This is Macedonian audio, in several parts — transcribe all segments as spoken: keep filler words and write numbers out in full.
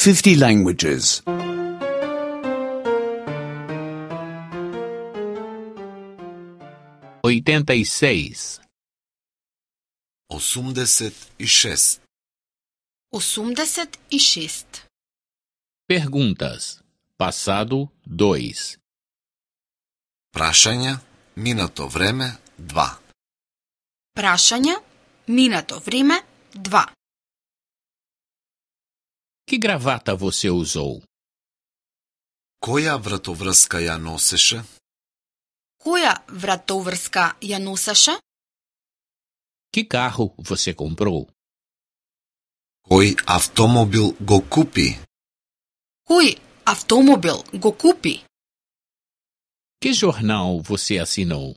fifty languages. oitenta e seis. осумдесет и шест. осумдесет и шест. Perguntas. Passado dois. Прашања, минато време, два. Прашања, минато време, два. Que gravata você usou? Која вратоврска ја носеше? Која вратоврска ја носеше? Que carro você comprou? Кој автомобил го купи? Кој автомобил го купи? Que jornal você assinou?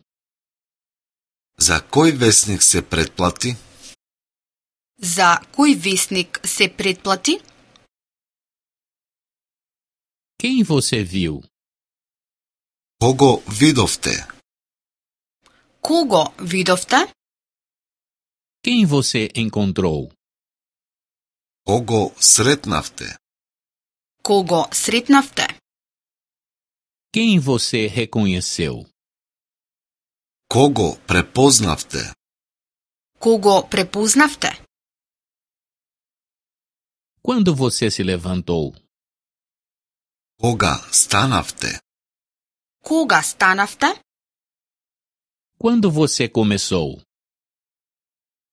За кој весник се претплати? За кој весник се претплати? Quem você viu? Кого видовте? Кого видовте? Quem você encontrou? Кого сретнавте? Кого сретнавте? Quem você reconheceu? Кого препознавте? Кого препознавте? Quando você se levantou? Кога станавте? Кога станавте? Quando você começou?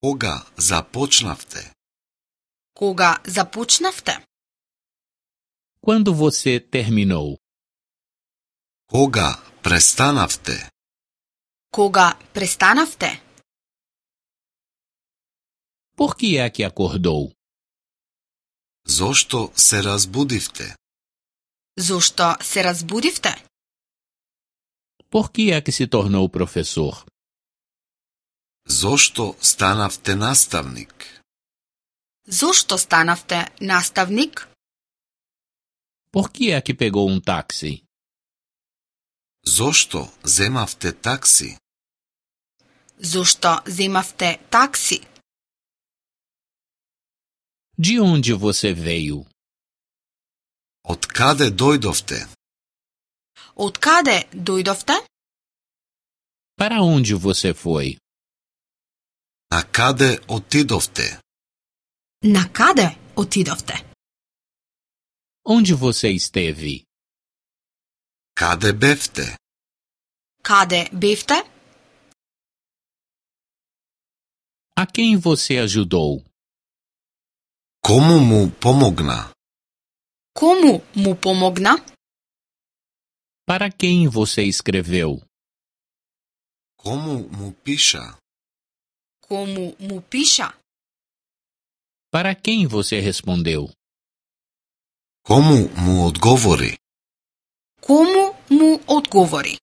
Кога започнавте? Кога започнавте? Quando você terminou? Кога престанавте? Кога престанавте? Por que é que acordou? Зошто се разбудивте? Зошто се разбудивте? Por que é que se tornou professor? Зошто станавте наставник? Зошто станавте наставник? Por que é que pegou um táxi? Зошто земавте такси? Зошто земавте такси? De onde você veio? Од каде дојдовте? Од каде дојдовте? Para onde você foi? На каде отидовте? На каде отидовте? Onde você esteve? Каде бевте? Каде бевте? A quem você ajudou? Кому му помогна? Кому му помогна? Para quem você escreveu? Кому му пиша? Кому му пиша? Para quem você respondeu? Кому му одговори? Кому му одговори?